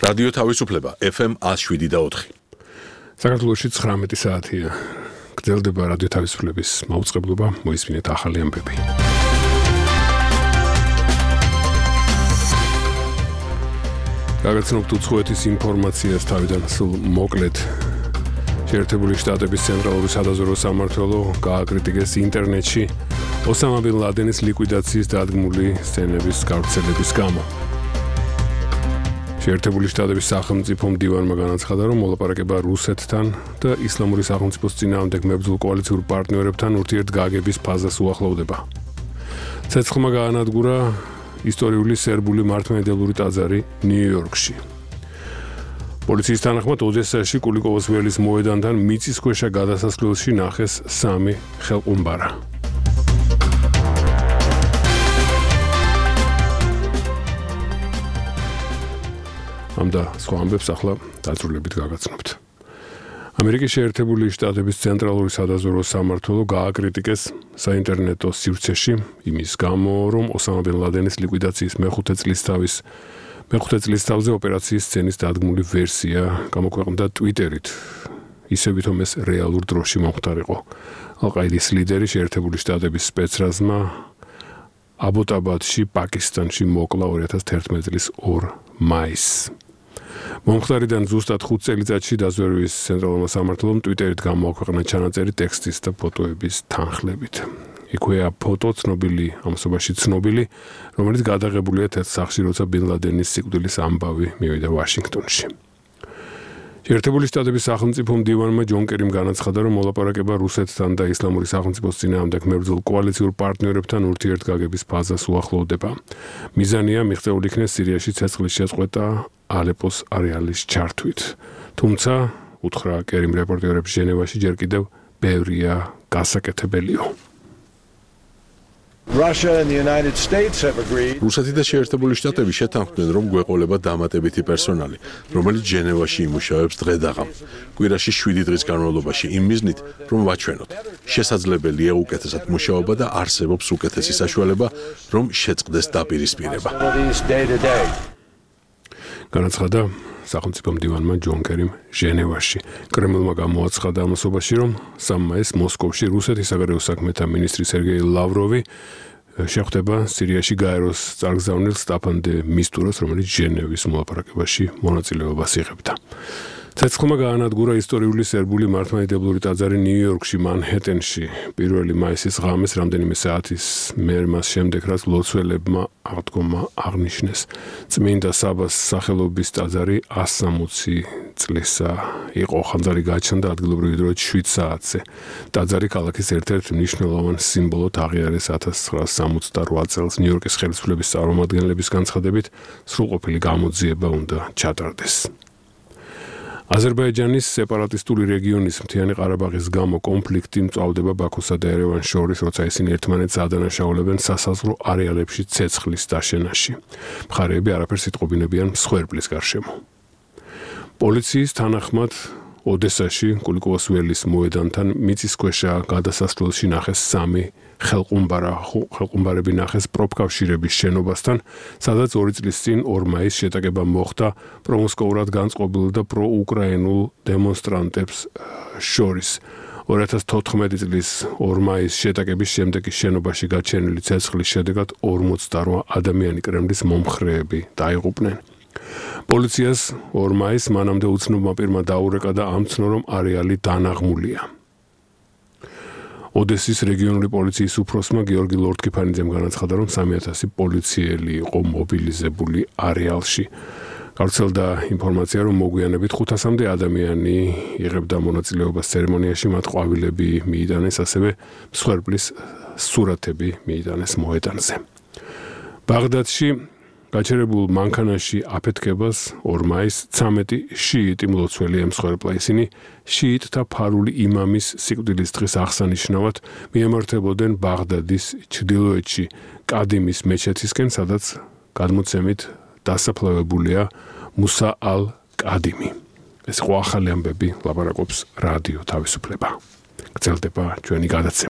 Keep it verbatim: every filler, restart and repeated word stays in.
რადიო თავისუფლება F M one oh seven და four. საქართველოში ცხრამეტი საათია. გრძელდება რადიო თავისუფლების მაუწყებლობა, მოისმინეთ ახალი ამბები. გაგაცნობთ უცხოეთის ინფორმაციას თავიდან სულ მოკლედ. შეერთებული შტატების ცენტრალური სადაზვერვო სამმართველო გააკრიტიკეს ინტერნეტში ოსამა ბინ ლადენის ლიკვიდაციის დადგმული სცენების გავრცელების გამო. შეერთებული შტატების სახელმწიფო მდივანმა განაცხადა, რომ მოლაპარაკება რუსეთთან და ისლამური სახელმწიფოს წინააღმდეგ მებრძოლ კოალიციურ პარტნიორებთან ურთიერთგაგების ფაზას უახლოვდება. ცეცხლმა გაანადგურა ისტორიული სერბული მართლმადიდებლური ტაძარი ნიუ-იორკში. პოლიციის თანახმად ოდესაში კულიკოვოს ველის მოედანთან მიწისქვეშა გადასასვლელში ნახეს სამი ხელყუმბარა. ამ და სხვა ამბებს ახლა დაწვრილებით გაგაცნობთ. ამერიკის შეერთებული შტატების ცენტრალური სადაზვერვო სამმართველო გააკრიტიკეს საინტერნეტო სივრცეში იმის გამო, რომ ოსამა ბინ ლადენის ლიკვიდაციის მეხუთე წლისთავის მეხუთე წლისთავზე ოპერაციის სცენის დადგმული ვერსია გამოქვეყნდა Twitter-ით. ისე ვითომ ეს რეალურ დროში მომხდარიყო. ალ-ყაიდის ლიდერი შეერთებული შტატების სპეცრაზმა აბოტაბადში, პაკისტანში მოკლა ორი ათას თერთმეტი წლის ორ მაისს. მომხდარიდან ზუსტად ხუთ წელიწადში დაზვერვის ცენტრალურმა სამმართველომ Twitter-ით გამოაქვეყნა ჩანაწერი ტექსტის და ფოტოების თანხლებით. იქვეა ფოტო ცნობილი, ამასობაში ცნობილი, რომელიც გადაღებულია თეთრ სახლში, როცა ბინ ლადენის სიკვდილის ამბავი მივიდა ვაშინგტონში. შეერთებული შტატების სახელმწიფო მდივანმა ჯონ კერიმ განაცხადა, რომ მოლაპარაკება რუსეთთან და ისლამური სახელმწიფოს წინააღმდეგ მებრძოლ კოალიციურ პარტნიორებთან ურთიერთგაგების ფაზას უახლოვდება. მიზანია მიღწეული იქნეს სირიაში ცეცხლის შეწყვეტა ალეპოს არეალის ჩართვით. თუმცა, უთხრა კერიმ რეპორტერებს ჟენევაში, ჯერ კიდევ ბევრია გასაკეთებელიო. Russia and the United States have agreed. რუსეთი და შეერთებული შტატები შეთანხმდნენ, რომ გვეყოლება დამატებითი პერსონალი, რომელიც ჟენევაში იმუშავებს დღე-დაღამ. კვირაში შვიდი დღის განმავლობაში იმ მიზნით, რომ ვაჩვენოთ, შესაძლებელია უკეთესად მუშაობა და არსებობს უკეთესი საშუალება, რომ შეწყდეს დაპირისპირება. განაცხადა სახელმწიფო მდივანმა ჯონ კერიმ ჟენევაში. კრემლმა გამოაცხადა ამასობაში, რომ სამი მაისს მოსკოვში რუსეთის საგარეო საქმეთა მინისტრი სერგეი ლავროვი შეხვდება სირიაში გაეროს წარგზავნილ სტაფან დე მისტურას, რომელიც ჟენევის მოლაპარაკებაში მონაწილეობას იღებდა. ცეცხლმა გაანადგურა ისტორიული სერბული მართლმადიდებლური ტაძარი ნიუ-იორკში, მანჰეტენში. პირველი მაისის ღამეს რამდენიმე საათის მერე მას შემდეგ, რაც ლოცველებმა აღდგომა აღნიშნეს. წმინდა საბას სახელობის ტაძარი ას სამოცი წლისა იყო. ხანძარი გაჩნდა ადგილობრივი დროით შვიდ საათზე. ტაძარი ქალაქის ერთ-ერთ მნიშვნელოვან სიმბოლოდ აღიარეს ათას ცხრაასი სამოცდარვა წელს. ნიუ-იორკის ხელისუფლების წარმომადგენლების განცხადებით, სრულყოფილი გამოძიება უნდა ჩატარდეს. აზერბაიჯანის სეპარატისტული რეგიონის მთიანი ყარაბაღის გამო კონფლიქტი მწვავდება ბაქოსა და ერევანს შორის, როცა ისინი ერთმანეთს ადანაშაულებენ სასაზღვრო არეალებში ცეცხლის დაშენაში. მხარეები არაფერს იტყობინებიან მსხვერპლის გარშემო. პოლიციის თანახმად ოდესაში კულიკოვოს ველის მოედანთან მიწისქვეშა გადასასვლელში ნახეს სამი ხელყუმბარა. ხელყუმბარები ნახეს პროფკავშირების შენობასთან, სადაც ორი წლის წინ ორ მაისს შეტაკება მოხდა პრომოსკოურად განწყობილ და პროუკრაინულ დემონსტრანტებს შორის. ორი ათას თოთხმეტი წლის ორ მაისს შეტაკების შემდეგ შენობაში გაჩენილი ცეცხლის შედეგად ორმოცდარვა ადამიანი კრემლის მომხრეები დაიღუპნენ. პოლიციას ორ მაისს მანამდე უცნობმა პირმა დაურეკა და ამცნო, რომ არეალი დანაღმულია. ოდესის რეგიონული პოლიციის უფროსმა გიორგი ლორდკიფანიძემ განაცხადა, რომ სამი ათასი პოლიციელი იყო მობილიზებული არეალში. გავრცელდა ინფორმაცია, რომ მოგვიანებით ხუთასამდე ადამიანი იღებდა მონაწილეობას ცერემონიაში, მათ ყვავილები მიიტანეს, ასევე მსხვერპლის სურათები მიიტანეს მოედანზე. ბაღდადში გაჩერებულ მანქანაში აფეთქებას ორ მაისს ცამეტი შიიტი მლოცველი ემსხვერპლა. ისინი შიიტთა ფარული იმამის სიკვდილის დღის აღსანიშნავად მიემართებოდნენ ბაღდადის ჩრდილოეთში კადიმის მეჩეთისკენ, სადაც გადმოცემით დასაფლავებულია მუსა ალ-კადიმი. ეს იყო ახალი ამბები, ლაპარაკობს რადიო თავისუფლება. გრძელდება ჩვენი გადაცემა.